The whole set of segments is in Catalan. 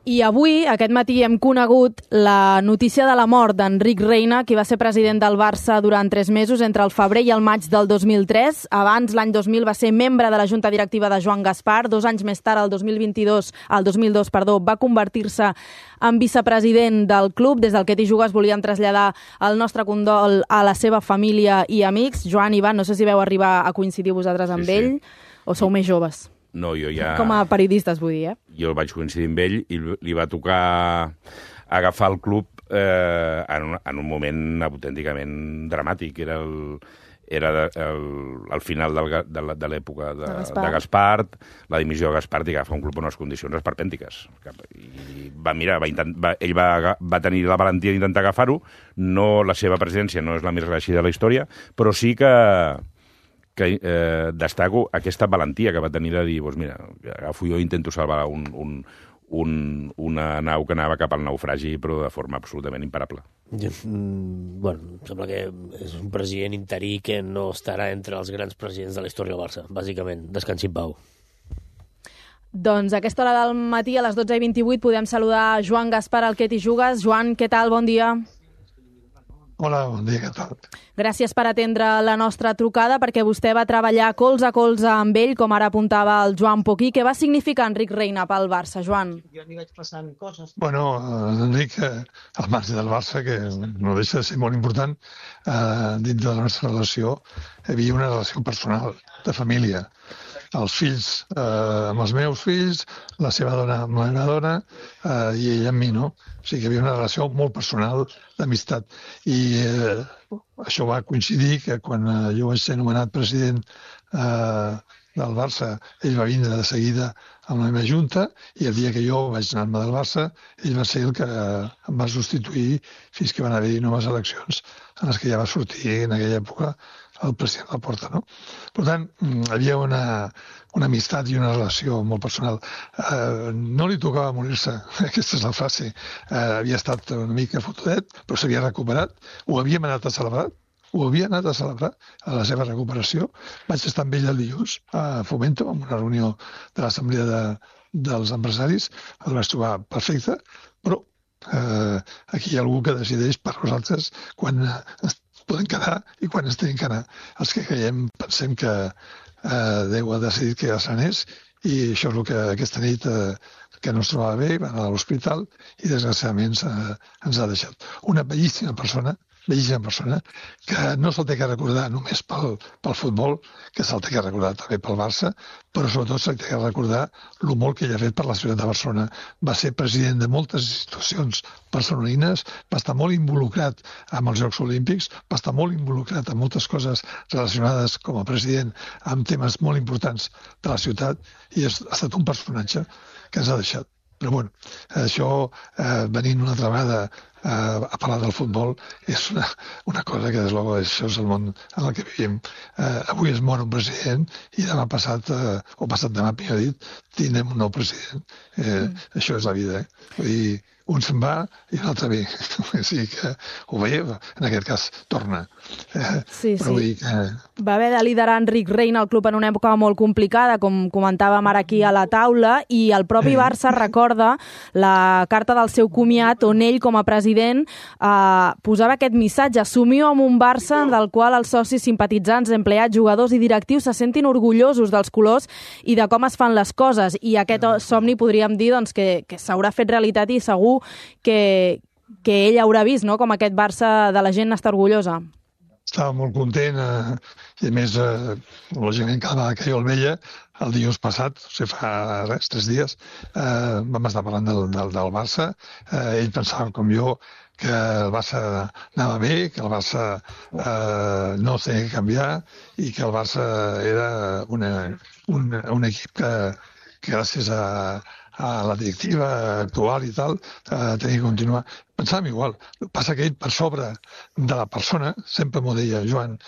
I avui, aquest matí, hem conegut la notícia de la mort d'Enric Reina, qui va ser president del Barça durant 3 mesos, entre el febrer i el maig del 2003. Abans, l'any 2000, va ser membre de la junta directiva de Joan Gaspar. 2 anys més tard, el 2002, va convertir-se en vicepresident del club. Des del Que t'hi jugues volíem traslladar el nostre condol a la seva família i amics. Joan, Ivan, no sé si veu arribar a coincidir vosaltres amb ell, o sou més joves. No, jo ja... Com a periodistes, vull dir, Jo vaig coincidir amb ell i li va tocar agafar el club en un moment autènticament dramàtic. Era el final de l'època de Gaspar, la dimissió de Gaspar i agafar un club en unes condicions esperpèntiques. I ell va tenir la valentia d'intentar agafar-ho. No, la seva presidència no és la més reeixida de la història, però sí que destaco aquesta valentia que va tenir de dir, doncs mira, agafo jo i intento salvar una nau que anava cap al naufragi, però de forma absolutament imparable. Bueno, sembla que és un president interí que no estarà entre els grans presidents de la història del Barça, bàsicament. Descansi en pau. Doncs a aquesta hora del matí, a les 12:28, podem saludar Joan Gaspar, al Que t'hi jugues. Joan, què tal? Bon dia. Hola, bon dia, què tal? Gràcies per atendre la nostra trucada, perquè vostè va treballar colze a colze amb ell, com ara apuntava el Joan Poquí. Què va significar Enric Reina pel Barça, Joan? Jo li vaig passant coses. Bueno, Enric, al marge del Barça, que no deixa de ser molt important, dins de la nostra relació, hi havia una relació personal, de família. Els fills amb els meus fills, la seva dona amb la meva dona i ella amb mi, no? O sigui que hi havia una relació molt personal d'amistat. I això va coincidir que quan jo vaig ser nomenat president del Barça, ell va vindre de seguida amb la meva junta i el dia que jo vaig anar-me del Barça, ell va ser el que em va substituir fins que van haver-hi noves eleccions en les que ja va sortir en aquella època el president Laporta, no? Per tant, hi havia una amistat i una relació molt personal. No li tocava morir-se, aquesta és la frase. Havia estat una mica fotudet, però s'havia recuperat. Ho havíem anat a celebrar, a la seva recuperació. Vaig estar amb ell el dilluns a Fomento, en una reunió de l'Assemblea dels Empresaris. El vaig trobar perfecte, però aquí hi ha algú que decideix per nosaltres quan podem quedar i quan ens tenim que anar. Els que creiem pensem que Déu ha decidit que ja se n'és i això és el que aquesta nit que no es trobava bé, va anar a l'hospital i desgraciadament ens ha deixat. Una bellíssima persona que no se'l té que recordar només pel futbol, que se'l té que recordar també pel Barça, però sobretot se'l té que recordar el molt que ell ha fet per la ciutat de Barcelona. Va ser president de moltes institucions barcelonines, va estar molt involucrat amb els Jocs Olímpics, va estar molt involucrat en moltes coses relacionades com a president amb temes molt importants de la ciutat i ha estat un personatge que ens ha deixat. Però bueno, això, venint una altra vegada a parlar del futbol, és una cosa que, des de això és el món en el que vivim. Avui es mor un president i demà passat, o passat demà, millor dit, tindrem un nou president. Això és la vida, Vull dir, un se'n va i l'altre ve. O sigui que ho ve, en aquest cas, torna. Sí. Però vull dir que... Va haver de liderar Enric Reina el club en una època molt complicada, com comentàvem ara aquí a la taula, i el propi Barça recorda la carta del seu comiat on ell, com a president, posava aquest missatge: assumiu amb un Barça del qual els socis, simpatitzants, empleats, jugadors i directius se sentin orgullosos dels colors i de com es fan les coses. I aquest somni podríem dir doncs, que s'haurà fet realitat i segur que ell haurà vist, no?, com aquest Barça de la gent està orgullosa. Estava molt content i a més, lògicament, cada vegada que jo el veia, el dilluns passat, o sigui, fa 3 dies, vam estar parlant del Barça. Ell pensava, com jo, que el Barça anava bé, que el Barça no tenia que canviar i que el Barça era un equip que gràcies a la directiva actual i tal, tenia que continuar. Pensàvem igual. El que passa que ell, per sobre de la persona, sempre m'ho deia, Joan,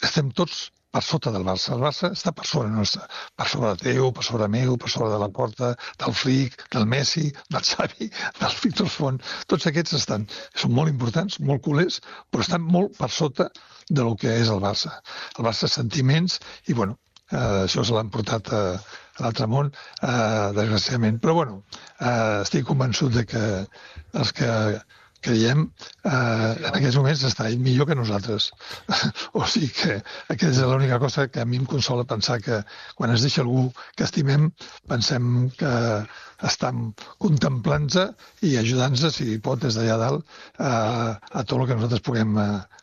estem tots per sota del Barça. El Barça està per sobre nostre, per sobre teu, per sobre meu, per sobre de la Porta, del Flick, del Messi, del Xavi, del Víctor Font. Tots aquests són molt importants, molt culers, però estan molt per sota del que és el Barça. El Barça sentiments i, bueno, això se l'han portat l'altre món, desgraciadament. Però, bueno, estic convençut de que els que creiem en aquests moments està ell millor que nosaltres. O sigui que aquesta és l'única cosa que a mi em consola pensar que quan es deixa algú que estimem pensem que estem contemplant-se i ajudant-se, si pot, des d'allà dalt, a tot el que nosaltres puguem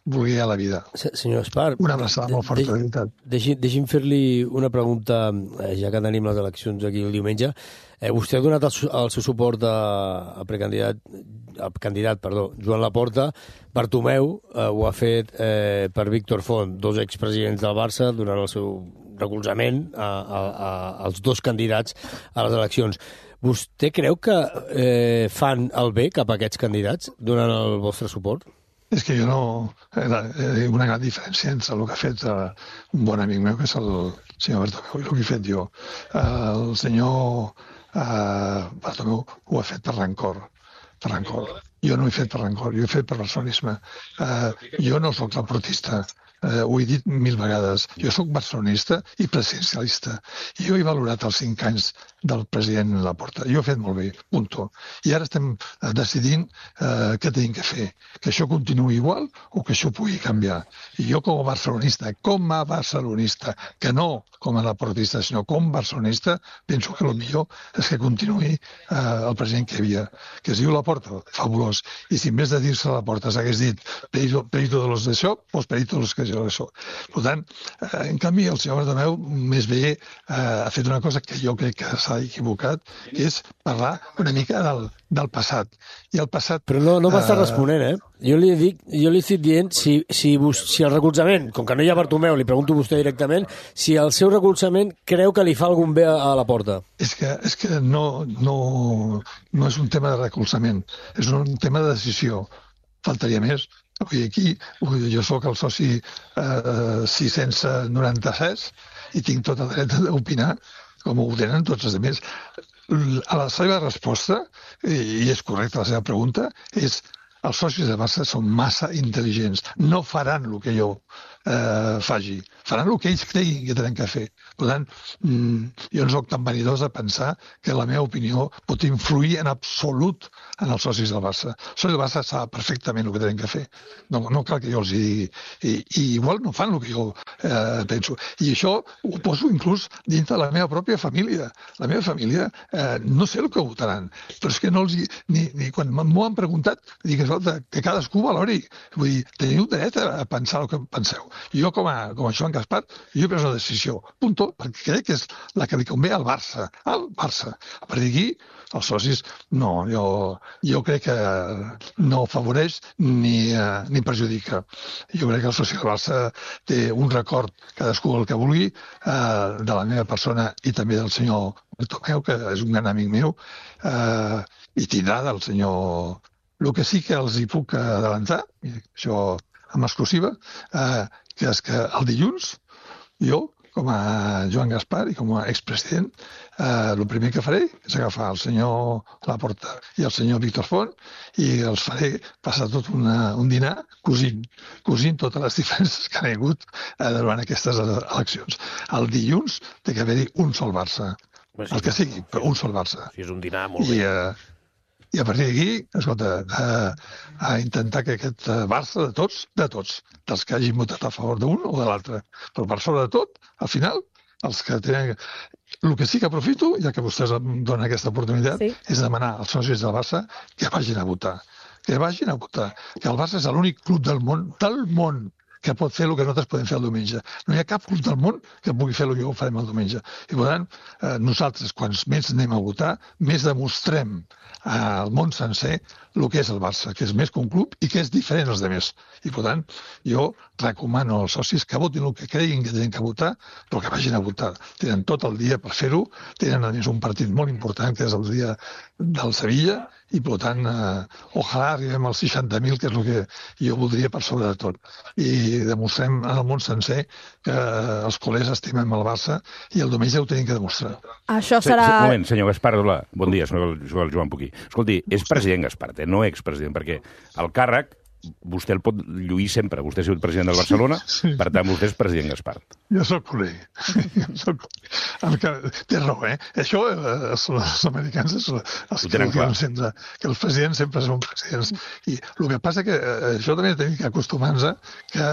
voler a la vida. Senyor Espar, una abraçada molt forta, de veritat. Deixi'm fer-li una pregunta, ja que tenim les eleccions aquí el diumenge. Vostè ha donat el seu suport al candidat Joan Laporta. Bartomeu ho ha fet per Víctor Font, dos expresidents del Barça, donant el seu recolzament als dos candidats a les eleccions. Vostè creu que fan el bé cap a aquests candidats donant el vostre suport? És que jo no... Hi ha una gran diferència entre el que ha fet un bon amic meu, que és el senyor Bartomeu, i el que he fet jo. El senyor Bartomeu ho ha fet per rancor. Jo no ho he fet per rancor, jo ho he fet per personalisme. Jo no sóc laportista, ho he dit 1000 vegades. Jo sóc barcelonista i presidencialista. I jo he valorat els 5 anys del president Laporta. Jo ho he fet molt bé, punto. I ara estem decidint què tenim que fer. Que això continuï igual o que això pugui canviar. I jo com a barcelonista, que no com a laportista, sinó com a barcelonista, penso que el millor és que continuï el president que hi havia, que es diu Laporta, fabulós. I si en vez de dir-se Laporta s'hagués dit perito de los d'això, doncs perito de los que jo d'això. Per tant, en canvi, el senyor Bartomeu més bé ha fet una cosa que jo crec que s'ha equivocat, que és parlar una mica del passat. I el passat... Però no m'està responent, Jo li estic dient si el recolzament, com que no hi ha Bartomeu, li pregunto a vostè directament, si el seu recolzament creu que li fa algun bé a Laporta. És que no és un tema de recolzament, és un tema de decisió. Faltaria més. Aquí jo sóc el soci 696 i tinc tot el dret d'opinar, com ho tenen tots els altres. A la seva resposta, i és correcta la seva pregunta, és els socis de Barça són massa intel·ligents. No faran el que jo faci. Faran el que ells creguin que tenen que fer. Per tant, jo no soc tan vanidós de pensar que la meva opinió pot influir en absolut en els socis del Barça. Els socis del Barça saben perfectament el que tenen que fer. No cal que jo els digui. I igual no fan el que jo penso. I això ho poso inclús dintre de la meva pròpia família. La meva família no sé el que votaran, però és que no els... Ni quan m'ho han preguntat, dic, escolta, que cadascú valori. Vull dir, teniu dret a pensar el que penseu. Jo, com a Joan Gaspar, jo he pres una decisió, punto, perquè crec que és la que li convé al Barça. Al Barça. A partir d'aquí, els socis, no, jo crec que no afavoreix ni perjudica. Jo crec que el soci del Barça té un record, cadascú el que vulgui, de la meva persona i també del senyor Bartomeu, que és un gran amic meu, i tindrà del senyor... El que sí que els hi puc adelantar, això amb exclusiva, que és que el dilluns jo, com a Joan Gaspar i com a expresident, el primer que faré és agafar el senyor Laporta i el senyor Víctor Font i els faré passar tot un dinar cosint totes les diferències que han hagut durant aquestes eleccions. El dilluns té que haver-hi un sol Barça. El que sigui, però un sol Barça. És un dinar molt bé. I a partir d'aquí, escolta, a intentar que aquest Barça de tots, dels que hagin votat a favor d'un o de l'altre, però per sobre de tot, al final, els que tenen... El que sí que aprofito, ja que vostès em donen aquesta oportunitat, és demanar als socis del Barça que vagin a votar. Que vagin a votar. Que el Barça és l'únic club del món, que pot fer el que nosaltres podem fer el diumenge. No hi ha cap club del món que pugui fer el que ho farem el diumenge. I per tant, nosaltres, quants més anem a votar, més demostrem al món sencer el que és el Barça, que és més que un club i que és diferent dels altres. I per tant, jo recomano als socis que votin el que creguin que tenen que votar, però que vagin a votar. Tenen tot el dia per fer-ho, tenen a més un partit molt important, que és el dia del Sevilla, i per tant, ojalà arribem als 60.000, que és el que jo voldria per sobre de tot. I demostrem al món sencer que els culers estimem el Barça i el diumenge ho tenim que demostrar. Això serà... Un moment, senyor Gaspar, bon dia, soc el Joan Puquí. Escolti, és president Gaspar, no expresident, perquè el càrrec vostè el pot lluir sempre. Vostè ha sigut president del Barcelona, per tant, vostè és president Gaspart. Jo soc culer. Té raó, eh? Això els americans els que diuen sempre que els presidents sempre són presidents. I el que passa que això també tenim que acostumar-nos que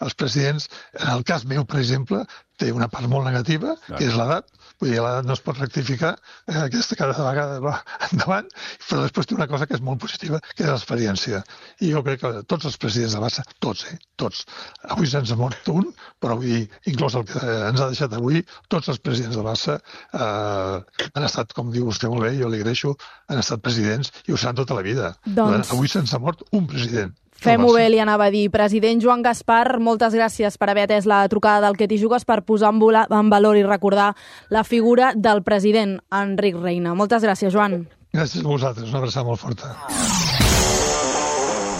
els presidents, en el cas meu, per exemple, té una part molt negativa, que és l'edat. Vull dir, l'edat no es pot rectificar, aquesta cada vegada va endavant, però després té una cosa que és molt positiva, que és l'experiència. I jo crec que tots els presidents de Barça, tots. Avui se'ns ha mort un, però vull dir, inclús el que ens ha deixat avui, tots els presidents de Barça han estat, com diu vostè molt bé, jo li agraeixo, han estat presidents i ho seran tota la vida. Doncs... Avui se'ns ha mort un president. Fem-ho bé, li anava a dir. President Joan Gaspar, moltes gràcies per haver atès la trucada del Que t'hi jugues, per posar en valor i recordar la figura del president Enric Reina. Moltes gràcies, Joan. Gràcies a vosaltres, una abraçada molt forta.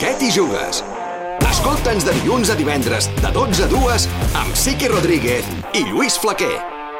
Que t'hi jugues? Escolta'ns de dilluns a divendres, de 12 a 2, amb Siqui Rodríguez i Lluís Flaquer.